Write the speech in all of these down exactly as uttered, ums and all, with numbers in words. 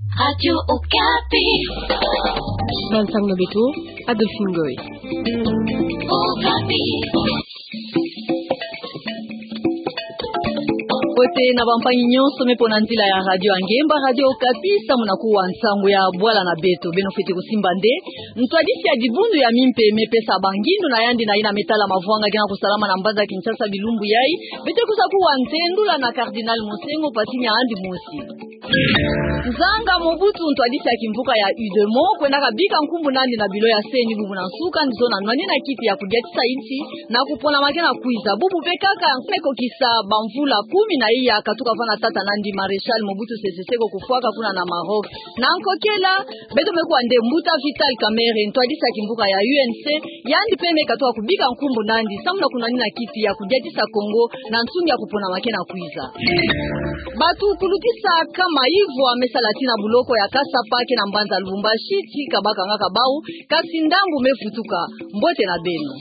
Radio Okapi. Ba nsang na beto, Adolphine Ngoy. Okapi. Mbote na bampangi nyonso me pona nzila ya radio ya ngemba, Radio Okapi, samu na kuwa nsangu ya bwala na beto. Beno fwete kusimba nde ntwadisi ya dibundu ya mimpe me pesa ba ngindu na yandi na yina me tala mavwanga ke na kusalama na mbanza Kinshasa bilumbu yai. Beto kwiza kuwa ntendula na Cardinal Monsengwo Pasinya, yandi mosi nzanga Mobutu, ntwadisi ya kimvuka ya UDEMO, kwendaka bika nkumbu nandi na bilo ya CENI bubu na nsuka, nzona nwanina kiti ya kudiatisa insi na kuponama ke na kwiza. Bubu mpe kaka me kokisa bamvula kumi na iya katuka vana tata nandi Maréchal Mobutu Sese Seko kufwaka kuna na Maroc. Na nkokela, beto me kuwa nde mbuta Vital Kamerhe, ntwadisi ya kimvuka ya UNC, yandi mpe me katuka kubika nkumbu nandi samu na kunwanina kiti ya kudiatisa Kongo na nsungi ya kuponama ke na kwiza. Bato kulutisa kama ivwa me sala tii na buloko ya Kasapa ke na mbanza Lubumbashi, tii kabakangaka bau, kasi ndambu me vutuka. Mbote na beno.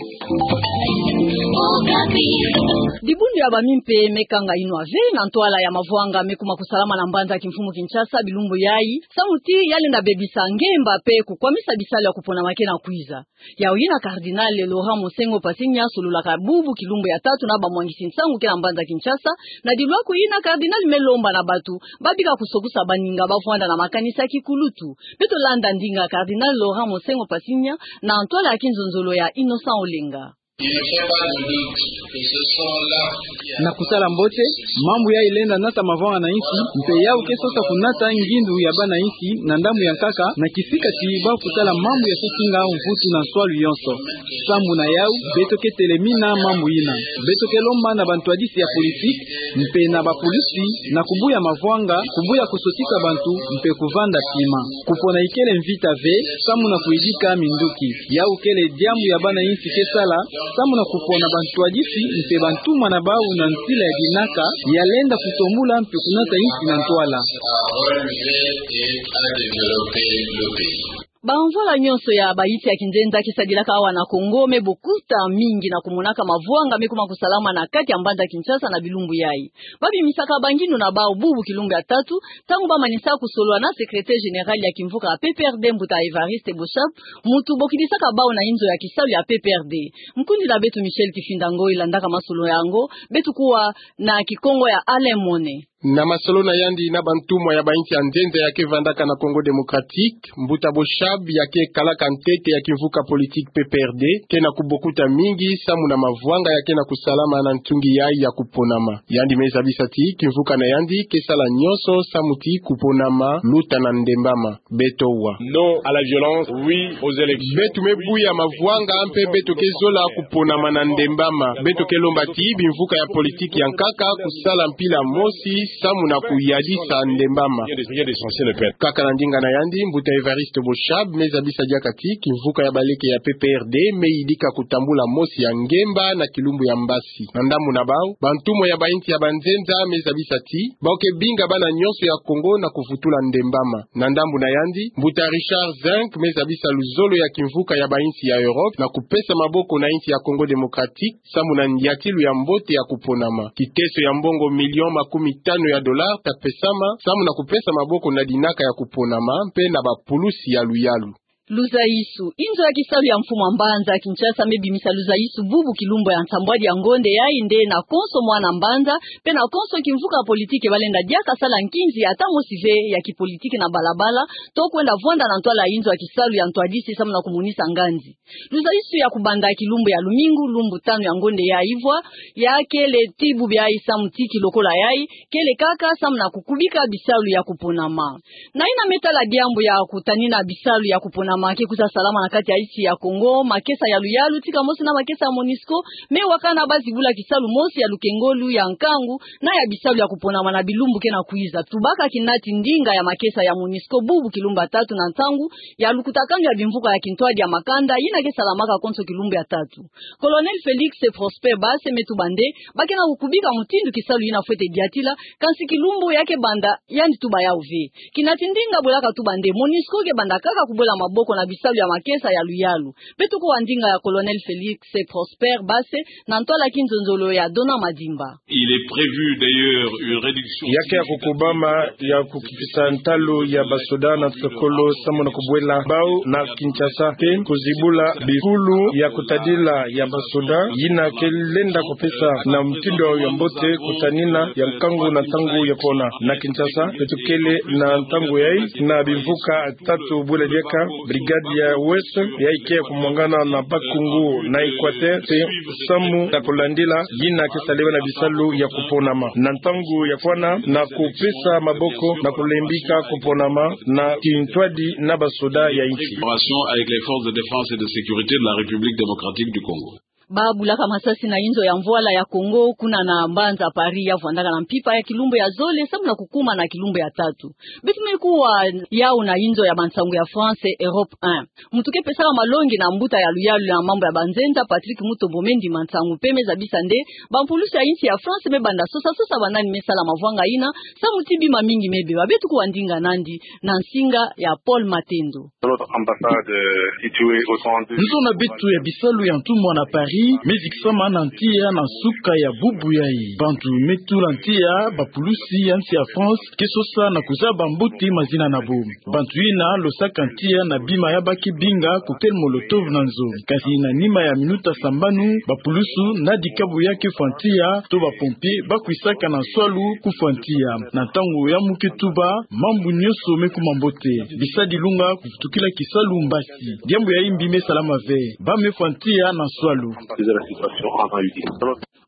Dibundu ya bamimpe me kanga inwa ve na ntwala ya mavwanga me kuma kusalama na mbanza kimfumu Kinshasa bilumbu yai, samu ti ya lenda bebisa ngemba mpe kukwamisa bisalu ya kuponama ke na kwiza. Yau yina Cardinal Laurent Monsengwo Pasinya sololaka bubu kilumbu ya tatu na bamwangisi nsangu ke na mbanza Kinshasa, na dilwaku yina Cardinal me lomba na bato ba bika kusokusa baninga ba vwanda na makanisa ya kikulutu. Beto landa ndinga Cardinal Laurent Monsengwo Pasinya na ntwala ya kinzonzolo ya Innocent Olenga. Il ne fait pas de doute que ce sont là Na kusala mbote, mambu yai lenda nata mavwanga na insi, mpe yau ke sosa kunata ngindu ya bana insi na ndambu ya nkaka, na kisika ti bau kutala mambu ya sosinga mvutu na nswalu yonso. Samu na yau, beto ke telemina mambu yina. Beto ke lomba na bantwadisi ya politiki, mpe na bapulusi, na kubuya mavwanga, kubuya kusotisa bantu, mpe kuvanda tima. Kupona ikele mvita ve, samu na kuyidika minduki. Yau kele diambu ya bana insi ke sala, samu na kupona bantwadisi mpe bantumwa na bau na nzila ya dinaka, ya lenda kutombula mpe kunata insi na ntwala. Bamvwala nyonso ya bayinsi ya kinzenza ke sadilaka awa na Kongo me bokuta mingi na kumonaka mavwanga me kuma kusalama na kati ya mbanza Kinshasa na bilumbu yai. Ba bimisaka bangindu na bau bubu kilumbu ya tatu, ntangu ba manisa kusolola na secrétaire général ya kimvuka ya P P R D, mbuta Évariste Boshab, muntu bokidisaka bau na inzo ya kisalu ya P P R D. Nkundi na beto Michel Kifinda Ngoy landaka masolo yango, beto kuwa na Kikongo ya Alain Mone. Na masolo na yandi na bantumwa ya bayinsi ya nzenza ya ke vandaka na Congo Démocratique, mbuta Boshab ya ke kalaka ntete ya kimvuka politique P P R D, ke na kubokuta mingi samu na mavwanga ya ke na kusalama na ntungi yai ya kuponama. Yandi me zabisa ti kimvuka na yandi ke sala nyonso samu ti kuponama luta na ndembama. Beto wa. Non à la violence, oui aux élections. Beto me buya mavwanga mpe beto ke zola kuponama na ndembama. Beto ke lomba ti bimvuka ya politiki ya nkaka kusala mpila mosi samu na kuyadisa ndembama. Kaka na ndinga na yandi, mbuta Évariste Boshab me zabisa diaka ti kimvuka ya baleke ya P P R D me yidika kutambula mosi ya ngemba na kilumbu ya mbasi. Na ndambu na bau, bantumwa ya bayinsi ya banzenza me zabisa ti bau ke binga bana nyonso ya Congo na kuvutula ndembama. Na ndambu na yandi, mbuta Richard Zinck me zabisa luzolo ya kimvuka ya bayinsi ya Europe na kupesa maboko na yinsi ya Congo Démocratique samu na ndiatilu ya mbote ya kuponama. Kiteso ya mbongo million makumi tanu ya dollars ta pesama samu na kupesa maboko na dinaka ya kuponama mpe na bapulusi ya luyalu. Luzaisu. Inzo ya kisalu ya mfumu ya mbanza Kinshasa me bimisa luzaisu bubu kilumbu ya nsambwadi ya ngonde yai nde na konso mwana mbanza, mpe na konso kimvuka ya politiki ba lenda diaka sala nkinzi ata mosi ve ya kipolitiki na balabala, to kwenda vwanda na ntwala ya inzo ya kisalu ya ntwadisi samu na kumonisa nganzi. Luzaisu ya kubanda kilumbu ya lumingu, lumbu tanu ya ngonde ya ivwa, ya kele ti bubu yai samu ti kilokola yai, kele kaka samu na kukubika bisalu ya kuponama. Na yina me tala diambu ya kutanina bisalu ya kuponama ke kwiza salama na kati ya insi ya Congo, makesa ya luyalu, tika mosi na makesa ya MONUSCO, me wakana ba zibula kisalu mosi ya lukengolu ya nkangu, na ya bisalu ya kuponama na bilumbu ke na kwiza. Tubaka kinati ndinga ya makesa ya MONUSCO bubu kilumbu ya tatu na ntangu ya lukutakanu ya bimvuka ya kintwadi ya makanda, yina ke salamaka konso kilumbu ya tatu. Colonel Félix Prosper Basse me tuba nde, ba ke na kukubika mutindu kisalu yina fwete diatila, kansi kilumbu ya ke banda, yandi tuba yau ve. Kinati ndinga bwelaka tuba nde, MONUSCO ke banda kaka kubwela maboko mpo na bisalu ya makesa ya luyalu. Beto kuwa ndinga ya Colonel Félix Prosper Basse na ntwala ya kinzonzolo ya Donat Madimba. Il est prévu d'ailleurs une réduction. Ya ke ya kukubama ya kukipisa ntalu ya basoda na nsokolo samu na kubwela bau na Kinshasa mpe kuzibula bifulu ya kutadila ya basoda yina ke lenda kupesa na mutindu ya mbote kutanina ya nkangu na ntangu ya kwona. Na Kinshasa beto kele na ntangu yayi na bimvuka tatu bwela diaka brigade ya Ouest yayi ke ya kumwangana na Bas-Congo na Équateur mpe samu na kulandila yina ke salama na bisalu ya kuponama na ntangu ya kwona na kupesa maboko na kulembika kuponama na kintwadi na basoda ya insi. Collaboration avec les forces de défense et de sécurité de la République démocratique du Congo. Ba bulaka masasi na inzo ya mvwala ya Congo kuna na mbanza Paris ya vwandaka na mpimpa ya kilumbu ya zole samu na kukuma na kilumbu ya tatu. Beto me kuwa yau na inzo ya bansangu ya France Europe un. Muntu ke pesaka malongi na mbuta ya luyalu na mambu ya banzenza Patrick Mutombo me ndima nsangu mpe me zabisa nde bampulusi ya insi ya France me banda sosa sosa banani me sala mavwanga yina samu ti bima mingi me beba. Beto kuwa ndinga nandi na nsinga ya Paul Matendo. Notre ambassade, euh, située au trente-deux. Nzo na beto ya bisalu ya ntumwa na Paris me zikisama na ntia na nsuka ya bubu yayi. Bantu me tula ntia, bapulusi ya insi ya France ke sosa na kuzaba mbote mazina na bo. Bantu yina losaka ntia na bima ya ba ke binga cocktail Molotov na nzo. Kasi na nima ya minuta sambanu, bapulusu na dikabu ya ke fwa ntia to bapompier ba kwisaka na nswalu kufwa ntia. Na ntangu ya muke tuba, mambu nyonso me kuma mbote. Bisa dilunga kuvutukila kisalu mbasi. Diambu ya imbi me salama ve. Ba me fwa ntia na nswalu.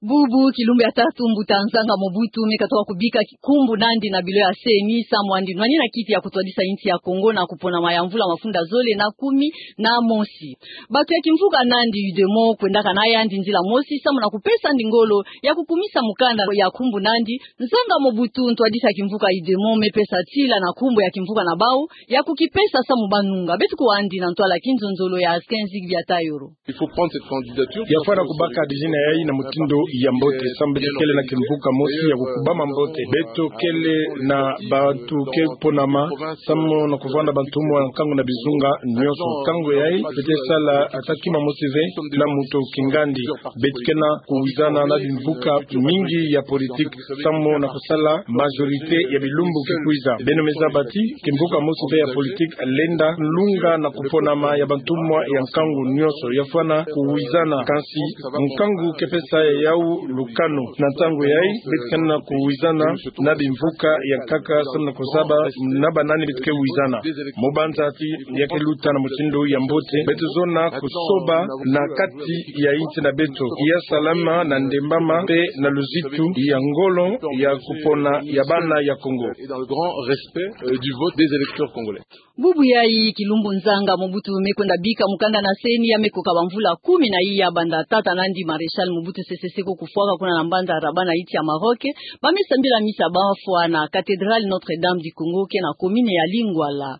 Bubu kilumbu ya tatu mbuta Nzanga Mobutu me katuka kubika ki-, nkumbu nandi na bilo ya C E N I samu andi nwanina kiti ya kutwadisa insi ya Congo na kuponama ya mvula mafunda zole na kumi na mosi. Bantu ya kimvuka nandi UDEMO kwendaka na yandi nzila mosi samu na kupesa andi ngolo ya kukumisa mukanda ya nkumbu nandi. Nzanga Mobutu, ntwadisi ya kimvuka UDEMO, me pesa tila na nkumbu ya kimvuka na bau ya kukipesa samu ba nunga. Beto kuwa andi na ntwala ya kinzonzolo ya Askin Zigbi ya Tayoro. Il faut prendre cette candidature. Ya fwana kubaka dizina yayi na mutindu ya mbote, samu beto kele na kimvuka mosi ya kukubama mbote. Beto kele na bantu ke ponama, samu na kuvwanda bantumwa ya nkangu na bizunga nyonso. Nkangu yayi, beto ke sala ata kima mosi ve na muntu kingandi. Beto ke na kuwizana na bimvuka mingi ya politique, samu na kusala majorité ya bilumbu ke kwiza. Beno me zaba ti kimvuka mosi ve ya politique lenda lunga na kuponama ya bantumwa ya nkangu nyonso. Ya fwana kuwizana, kansi nkangu ke pesa yau lukanu. Na ntangu yayi, beto ke na kuwizana na bimvuka ya nkaka, samu na kuzaba na banani beto ke wizana. Mu banza ti ya ke luta na mutindu ya mbote, beto zona kusoba na kati ya insi na beto ya salama na ndembama mpe na luzitu ya ngolo ya kupona ya bana ya Congo. Et dans le grand respect, euh, du vote des électeurs congolais. Bubu yayi kilumbu Nzanga Mobutu me kwenda bika mukanda na C E N I ya me koka bamvula kumi na iya banda tata nandi Maréchal Mobutu Sese Seko kufwaka kuna na mbanza Rabat na insi ya Maroc. Ba me sambila misa ba fwa na cathédrale Notre-Dame du Congo ke na commune ya Lingwala.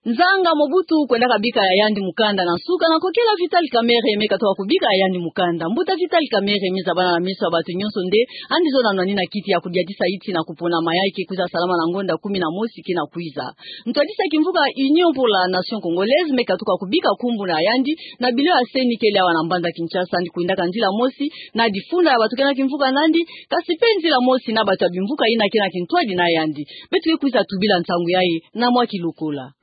Nzanga Mobutu kwendaka bika ya yandi mukanda na nsuka na kokela Vital Kamerhe me katuka kubika ya yandi mukanda. Mbuta Vital Kamerhe me zabana na meso ya bantu nyonso nde andi zona nwanina kiti ya kudiatisa insi na kuponama yayi ke kwiza salama na ngonda kumi na mosi ke na kwiza. Ntwadisi ya kimvuka Union pour la Nation Congolaise me katuka kubika nkumbu na yandi na bilo ya C E N I kele awa na mbanza Kinshasa, andi kwendaka nzila mosi na difunda ya bantu ke na kimvuka nandi, kasi mpe nzila mosi na bantu ya bimvuka yina ke na kintwadi na yandi. Beto ke kwiza tubila nsangu yayi na mwa kilokola.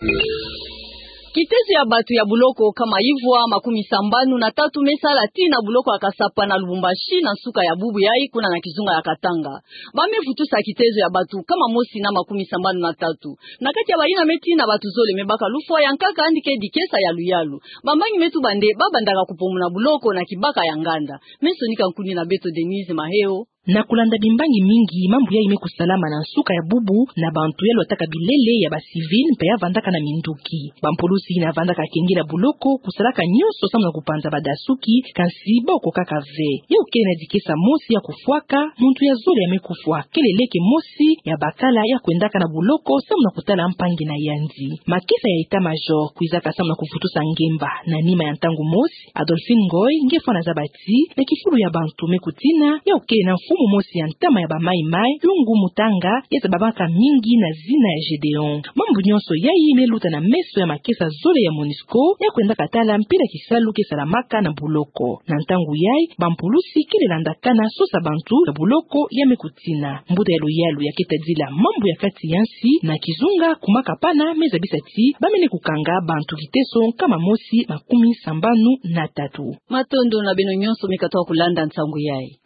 Kitezo ya bantu ya buloko nkama ivwa makumi sambanu na tatu me sala tii na buloko ya Kasapa na Lubumbashi na nsuka ya bubu yayi kuna na kizunga ya Katanga. Ba me vutusa kitezo ya bantu nkama mosi na makumi sambanu na tatu. Na kati ya bayina me tii na bantu zole me baka lufwa, ya nkaka andi ke dikesa ya luyalu. Bambangi me tuba nde ba bandaka kupomona buloko na kibaka ya nganda. Me sonika nkundi na beto Denise Maheo. Na kulanda bimbangi mingi, mambu yayi me kusalama na nsuka ya bubu na bantu ya lwataka bilele ya ba civil mpe ya vandaka na minduki. Bampulusi yina vandaka kengela buloko kusalaka nyonso samu na kupanza badasuki, kansi boko kaka ve. Yau kele na dikesa mosi ya kufwaka, muntu ya zole ya me kufwa, kele leke mosi ya bakala ya kwendaka na buloko samu na kutala mpangi na yandi. Makesa ya état-major kwizaka samu na kuvutusa ngemba. Na nima ya ntangu mosi, Adolphine Ngoy nge fwana zaba ti na kifulu ya bantu me kutina, yau kele na Kumu mosi ya ntama ya ba Mai Mai, Yungu Mutanga, ya zabamaka mingi na zina ya Gédéon. Mambu nyonso yayi me luta na meso ya makesa zole ya MONUSCO, ya kwendaka tala mpila kisalu ke salamaka na buloko. Na ntangu yayi, bampulusi kele landakana sosa bantu na buloko ya me kutina. Mbuta ya luyalu ya ke tadila mambu ya kati ya nsi na kizunga kumaka pana me zabisa ti ba mene kukanga bantu kiteso nkama mosi makumi sambanu na tatu. Matondo na beno nyonso me katoka kulanda nsangu yayi.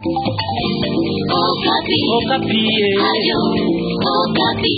Okapi. Okapi, eh. Radio Okapi.